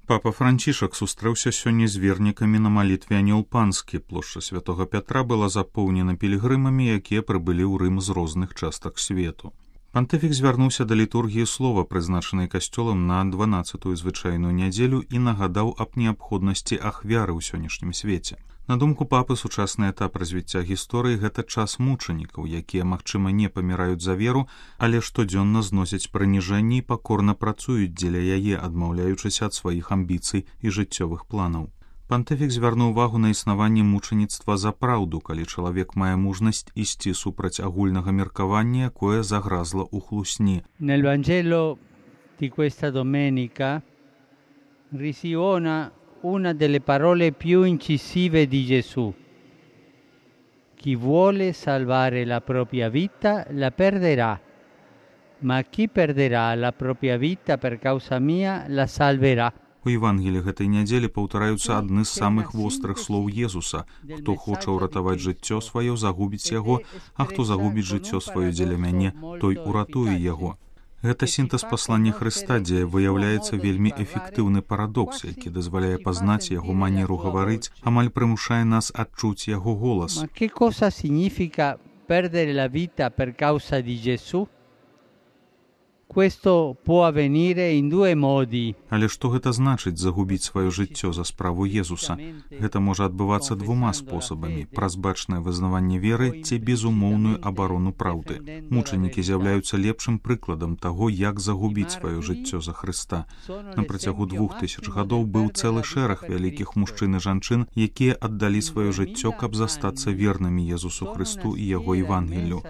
Папа Францішак сустрэўся сёння з вернікамі на малітве Анёл Панскі. Плошча Святога Пятра была запоўнена пілігрымамі, якія прыбылі ў Рым з розных частак свету. Пантыфік звярнуўся да літургіі слова, прызначанай касцёлам на 12-ю звычайную нядзелю, і нагадаў аб неабходнасці ахвяры ў сённяшнім свеце. На думку папы, сучасны этап развіцця гісторыі – гэта час мучанікаў, якія, магчыма, не паміраюць за веру, але штодзённа зносяць прыніжэнні і пакорна працуюць дзеля яе, адмаўляючыся ад сваіх амбіцый і жыццёвых планаў. Пантыфік звярнуў увагу на існаванне мучаніцтва за праўду, калі чалавек мае мужнасць ісці супраць агульнага меркавання, якое загразла ў хлусні. Nel Vangelo di questa domenica risuona una delle parole più incisive di Gesù. Chi vuole salvare la propria vita la perderà, ma chi perderà la propria vita per causa mia la salverà. У Евангелі гэтай нядзелі паўтараюцца адны з самых вострых слоў Езуса. Хто хоча ўратаваць жыццё сваё, загубіць яго, а хто загубіць жыццё сваё дзеля мяне, той уратуе яго. Гэта сінтэз паслання Хрыста, дзе выяўляецца вельмі эфектыўны парадокс, які дазваляе пазнаць яго манеру гаварыць, амаль прымушае нас адчуць яго голас. Ma che cosa significa perdere la vita per causa di Gesù? Questo può avvenire in due modi. Але што гэта значыць загубіць сваё жыццё за справу Езуса? Гэта можа адбывацца двума спосабамі: праз бачнае вызнаванне веры ці безумоўную абарону праўды. Мучанікі з'яўляюцца лепшым прыкладам таго, як загубіць сваё жыццё за Хрыста. На працягу 2000 гадоў быў цэлы шэраг вялікіх мужчын і жанчын, якія аддалі сваё жыццё, каб застацца вернымі Езусу Хрысту і яго Евангелію.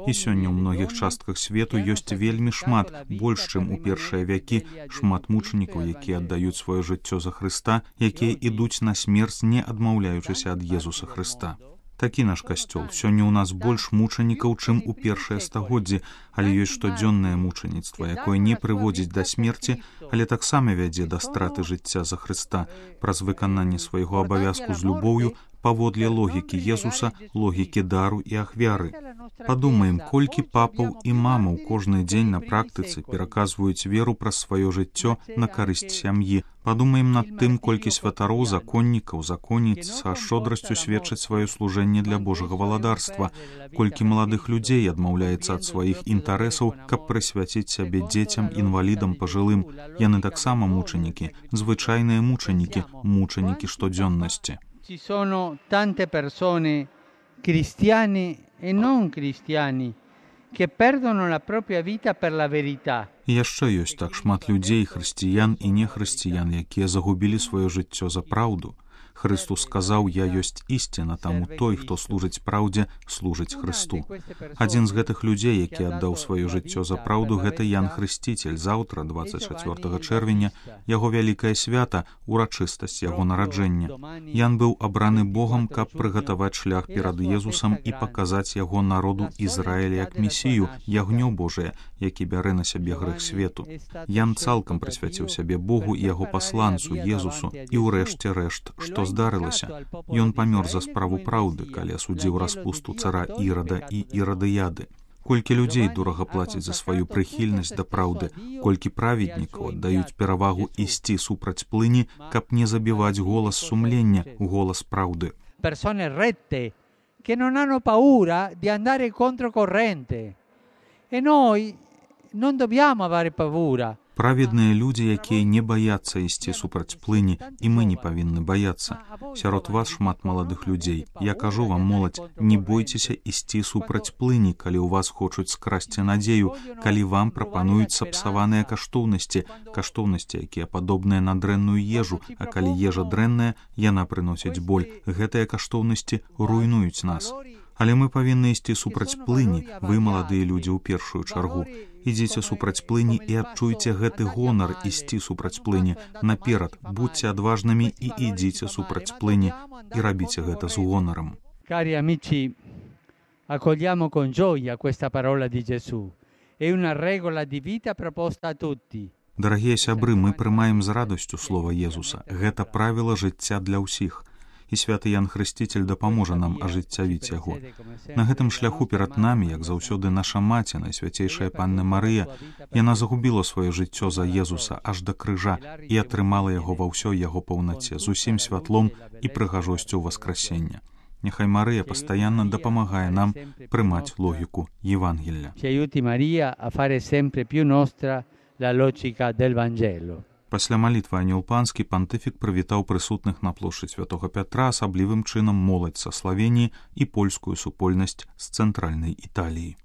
І сёння ў многіх частках свету ёсць вельмі шмат, больш, чым у першыя вякі, шмат мучанікаў, якія аддаюць сваё жыццё за Хрыста, якія ідуць на смерць, не адмаўляючыся ад Езуса Хрыста. Такі наш касцёл. Сёння ў нас больш мучанікаў, чым у першыя стагоддзі, але ёсць штодзённае мучаніцтва, якое не прыводзіць да смерці, але таксама вядзе да страты жыцця за Хрыста праз выкананне свайго абавязку з любоўю, паводле логікі Езуса, логікі дару і ахвяры. Падумаем, колькі папаў і мамаў кожны дзень на практыцы пераказваюць веру праз сваё жыццё на карысць сям'і. Падумаем над тым, колькі святароў, законнікаў, законніц са шчодрасцю сведчаць сваё служэнне для Божага валадарства, колькі маладых людзей адмаўляецца ад сваіх інтарэсаў, каб прысвяціць сябе дзецям, інвалідам, пажылым. Яны таксама мучанікі, звычайныя мучанікі, мучанікі штодзённасці. Ci sono tante persone, cristiani e non cristiani, che perdono la propria vita per la verità. І яшчэ ёсць так шмат людзей, хрысціян і нехрысціян, якія загубілі сваё жыццё за праўду. Христус сказаў: «Я ёсць ісціна, таму той, хто служыць праўдзе, служыць Хрысту». Адзін з гэтых людзей, які аддаў сваё жыццё за праўду, гэта Ян Хрысціцель. Заўтра, 24 чэрвеня, яго вялікае свята, урачыстасць яго нараджэння. Ян быў абраны Богам, каб прыгатаваць шлях перад Езусам і паказаць яго народу Ізраіля як месію, ягнё Божае, які бярэ на сябе грэх свету. Ян цалкам прысвяціў сябе Богу і яго пасланцу, Езусу, і ўрэшце рэшт, што здарылася. Ён памёр за справу праўды, калі асудзіў распусту цара Ірада і Ірадыяды. Колькі людзей дорага плацяць за сваю прыхільнасць да праўды, колькі праведнікаў аддаюць перавагу ісці супраць плыні, каб не забіваць голас сумлення, голас праўды. Persone rette, che non hanno paura di andare controcorrente. E noi non dobbiamo avere paura. Праведныя людзі, якія не баяцца ісці супраць плыні, і мы не павінны баяцца. Сярод вас шмат маладых людзей. Я кажу вам, моладзь, не бойцеся ісці супраць плыні, калі ў вас хочуць скрасці надзею, калі вам прапануюць сапсаваныя каштоўнасці, якія падобныя на дрэнную ежу, а калі ежа дрэнная, яна прыносіць боль. Гэтыя каштоўнасці руйнуюць нас. Але мы павінны ісці супраць плыні, вы, маладыя людзі, у першую чаргу. Ідзіце супраць плыні і адчуйце гэты гонар ісці супраць плыні. Наперад, будьце адважнымі і ідзіце супраць плыні, і рабіце гэта з гонарам. Cari amici, accogliamo con gioia questa parola di Gesù. È una regola di vita proposta a tutti. Дарагія сябры, мы прымаем з радасцю слова Езуса. Гэта правіла жыцця для ўсіх. і святы Ян Хрысціцель дапаможа нам ажыццявіць яго. На гэтым шляху перад намі, як заўсёды, наша маці, Найсвяцейшая Панна Марыя, яна загубіла сваё жыццё за Езуса аж да крыжа і атрымала яго ва ўсёй яго паўнаце, з усім святлом і прыгажосцю воскресення. Няхай Марыя пастаянна дапамагае нам прымаць логіку Євангелля. Ci aiuti Maria a fare sempre più nostra la logica del Vangelo. Пасля малітвы Анёл Панскі пантыфік прывітаў прысутных на плошчы Святога Пятра, асаблівым чынам моладзь са Славеніі і польскую супольнасць з цэнтральнай Італіі.